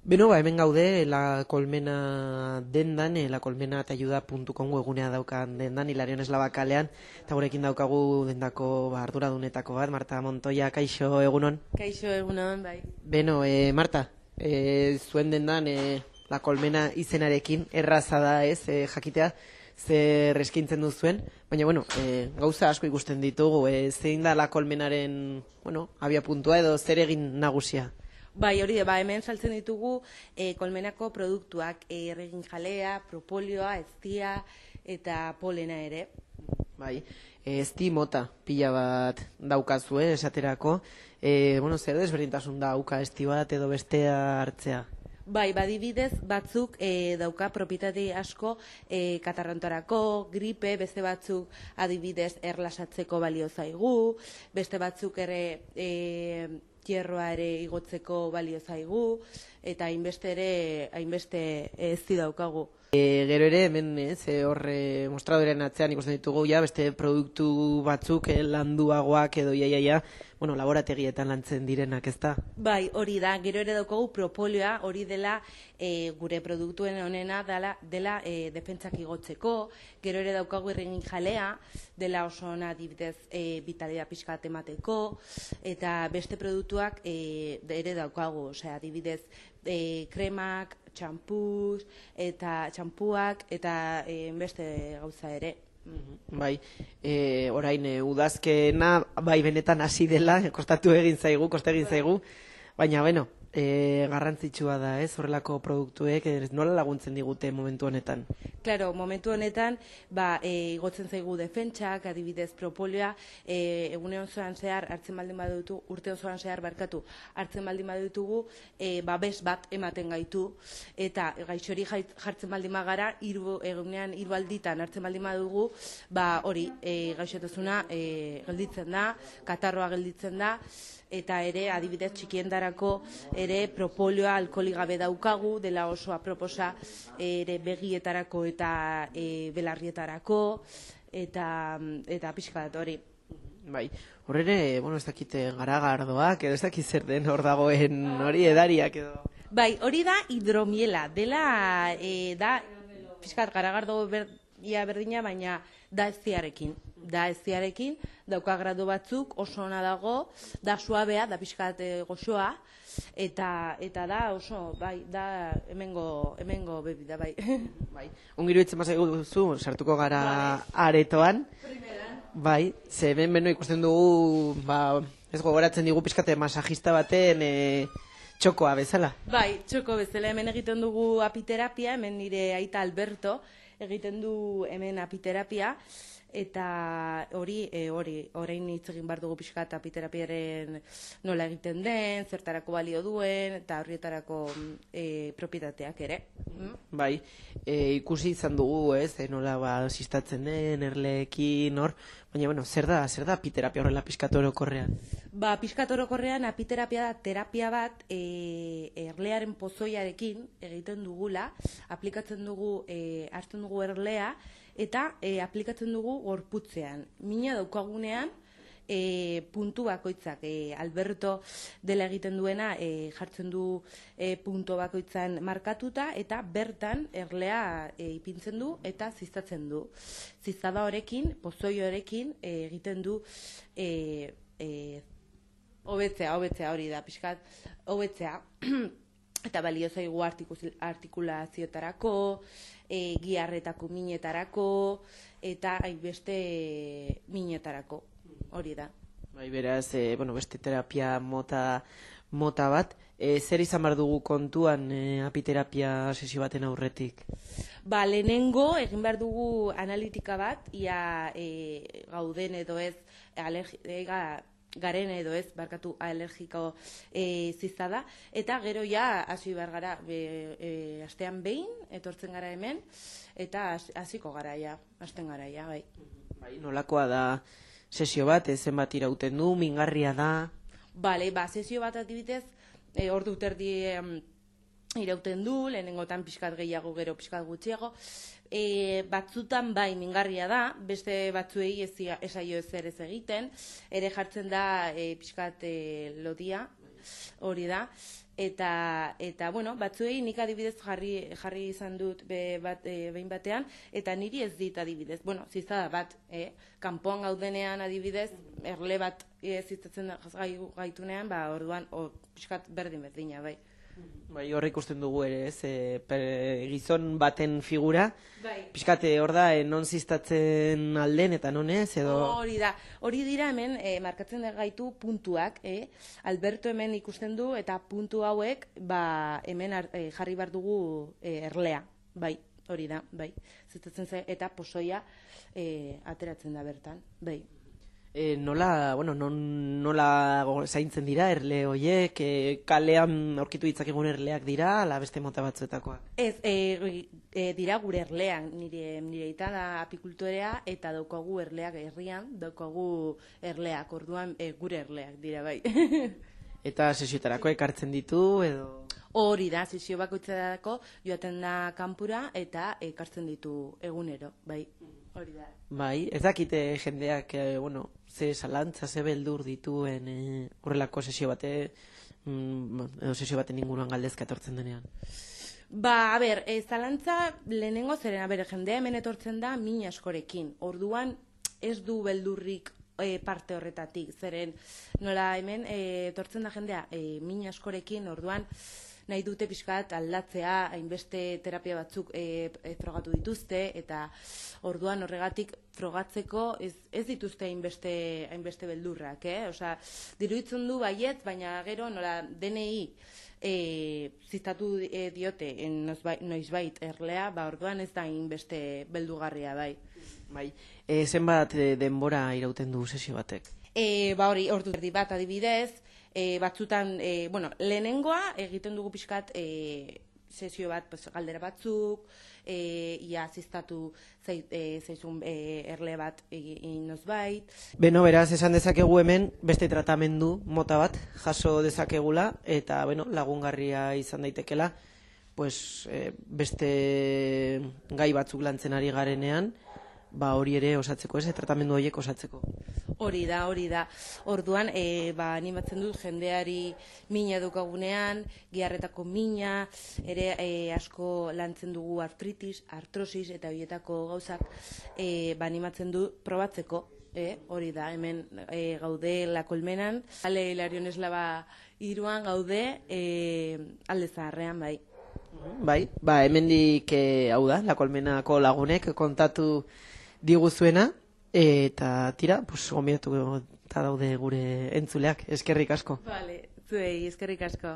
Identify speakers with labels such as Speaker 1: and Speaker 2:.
Speaker 1: Beno, hemen gaude, La Colmena dendan, lacolmenatayuda.com webgunea daukan dendan, Hilarion Eslaba kalean, eta gurekin daukagu dendako arduradunetako bat, Marta Montoya, kaixo egunon.
Speaker 2: Kaixo egunon, bai.
Speaker 1: Beno, Marta, zuen dendan, La Colmena izenarekin, erraza da ez, jakitea, zer eskaintzen duzuen, baina, bueno, gauza asko ikusten ditugu, zein da La Colmenaren, bueno, abia puntua edo zer egin nagusia?
Speaker 2: Bai, hori da, hemen saltzen ditugu kolmenako produktuak, erregin jalea, propolioa, eztia eta polena ere.
Speaker 1: Bai, ezti mota pila bat daukazue esaterako, bueno, zer desberdintasun dauka ezti bat edo bestea hartzea?
Speaker 2: Bai, badibidez batzuk dauka propietate asko katarrontarako, gripe, beste batzuk adibidez erlasatzeko balio zaigu, beste batzuk ere hierroa ere igotzeko balio zaigu, eta hainbeste ezti daukagu.
Speaker 1: Gero ere, hemen horre mostradoren atzean ikusten ditugu, beste produktu batzuk landuagoak edo bueno, laborategietan lantzen direnak, ez da?
Speaker 2: Bai, hori da, gero ere daukagu propolioa, hori dela gure produktuen honena dela defentsak igotzeko, gero ere daukagu erregin jalea, dela oso ona adibidez vitalidad pixka bat emateko, eta beste produktuak ere daukagu, osea, adibidez kremak, txampuak eta beste gauza ere.
Speaker 1: Bai, orain udazkena bai benetan hasi dela, koste egin zaigu, baina bueno, garrantzitsua da, horrelako produktuek nola laguntzen digute momentu honetan?
Speaker 2: Claro, momentu honetan, igotzen zaigu defentsak, adibidez propolioa, egune osoan zehar hartzen baldin badutu, urte osoan zehar hartzen baldin badutugu, babes bat ematen gaitu, eta gaixori jartzen baldin bagara, egunean 3 alditan hartzen baldin badugu, hori gaixotasuna gelditzen da, katarroa gelditzen da, eta ere adibidez txikiendarako ere propolioa alkoholik gabe daukagu, dela oso aproposa ere begietarako eta belarrietarako eta pixka bat hori.
Speaker 1: Bai, horre, bueno, ez dakite garagardoak, edo ez dakit zer den hor dagoen hori edariak edo.
Speaker 2: Bai, hori da hidromiela, dela da pixka bat garagardo berdina, baina da eztiarekin, dauka gradu batzuk, oso ona dago, da suabea, da pixkat goxoa, eta da oso, bai, da hemengo bebida, bai.
Speaker 1: Bai, ongiru itzen bazaigu duzu, sartuko gara aretoan. Bai, ze hemen ikusten dugu, ez gogoratzen digu pixkate masajista baten txokoa bezala.
Speaker 2: Bai, txoko bezala, hemen egiten dugu apiterapia, hemen nire aita Alberto, egiten du hemen apiterapia, eta orain hitz egin behar dugu pixka eta apiterapiaren nola egiten den, zertarako balio duen, eta horrietarako propietateak ere.
Speaker 1: Bai, ikusi izan dugu, nola sistatzen den, erleekin, hor, baina, bueno, zer da apiterapia horrela pixkat orokorrean?
Speaker 2: Pixkat orokorrean apiterapia da terapia bat erlearen pozoiarekin egiten dugula, aplikatzen dugu, hartzen dugu erlea, eta aplikatzen dugu gorputzean. Mina daukagunean, puntu bakoitzak, Alberto dela egiten duena jartzen du puntu bakoitzan markatuta, eta bertan erlea ipintzen du eta ziztatzen du. Ziztada horekin, pozoi horekin egiten du hobetzea hori da, pixkat, hobetzea. Eta balio zaigu artikulazioetarako, giharretako minetarako, eta hainbeste minetarako, hori da.
Speaker 1: Bai, beraz, beste terapia mota bat, zer izan behar dugu kontuan apiterapia sesio baten aurretik?
Speaker 2: Lehenengo, egin behar dugu analitika bat, ia gauden edo ez, garen edo ez, alergiko ziztada, eta gero hasi behar gara, astean behin, etortzen gara hemen, eta hasiko gara hasten gara bai.
Speaker 1: Bai, nolakoa da sesio bat, zenbat irauten du, mingarria da?
Speaker 2: Sesio bat adibidez, ordu terdi irauten du, lehenengotan pixkat gehiago, gero pixkat gutxiago, batzutan bai mingarria da, beste batzuei esaio ezer ez egiten, ere jartzen da pixkat lodia, hori da. Eta bueno, batzuei nik adibidez jarri izan dut behin batean, eta niri ez dit adibidez. Bueno, zizada bat, kanpoan gaudenean adibidez, erle bat zizatzen gaitunean, orduan, pixkat berdina, bai.
Speaker 1: Bai, hor ikusten dugu ere, ez, gizon baten figura,
Speaker 2: Bai.
Speaker 1: pixkate hor da, non ziztatzen alden eta non ez, edo...
Speaker 2: Hori dira hemen, markatzen gaitu puntuak, Alberto hemen ikusten du, eta puntu hauek, hemen jarri behar dugu erlea, bai, hori da, bai. Ziztatzen zen, eta pozoia ateratzen da bertan, bai.
Speaker 1: Nola zaintzen dira erle horiek, kalean aurkitu ditzakegun erleak dira, ala beste mota batzuetakoak?
Speaker 2: Ez, dira gure erlean, nire ita da apikultorea, eta daukagu erleak herrian, daukagu erleak, orduan gure erleak dira, bai.
Speaker 1: Eta sesioetarako ekartzen ditu, edo...
Speaker 2: Hori da, sesio bakoitzerako joaten da kanpura, eta ekartzen ditu egunero, bai. Hori da.
Speaker 1: Bai, ez dakite jendeak, ze salantza, ze beldur dituen horrelako sesio baten inguruan galdezka etortzen denean.
Speaker 2: A ber, zalantza lehenengo zeren, jendea hemen etortzen da min askorekin. Orduan ez du beldurrik parte horretatik, zeren nola hemen etortzen da jendea min askorekin, orduan nahi dute pixkat aldatzea, hainbeste terapia batzuk frogatu dituzte, eta orduan horregatik frogatzeko ez dituzte hainbeste beldurrak, Osea, diruditzen du baiet, baina gero nola DNI ziztatu diote noizbait erlea, orduan ez da hainbeste beldugarria, bai.
Speaker 1: Bai, zenbat denbora irauten du sesio batek?
Speaker 2: Hori, ordu erdi bat adibidez, batzutan, lehenengoa egiten dugu pixkat sesio bat galdera batzuk, ia ziztatu zaizun erle bat inozbait.
Speaker 1: Beno, beraz, esan dezakegu hemen beste tratamendu mota bat jaso dezakegula, eta lagungarria izan daitekela, beste gai batzuk lantzen ari garenean, hori ere osatzeko, tratamendu horiek osatzeko.
Speaker 2: Hori da. Orduan, animatzen dut jendeari mina edukagunean, giharretako mina, ere asko lantzen dugu artritis, artrosis eta horietako gauzak animatzen dut probatzeko. Hori da, hemen gaude La Colmenan, Ale Hilarion Eslaba 3 gaude Alde Zaharrean, bai.
Speaker 1: Bai, hemendik hau da, La Colmenako lagunek kontatu diguzuena, eta tira, gombidatu eta daude gure entzuleak, eskerrik asko.
Speaker 2: Vale, zuei, eskerrik asko.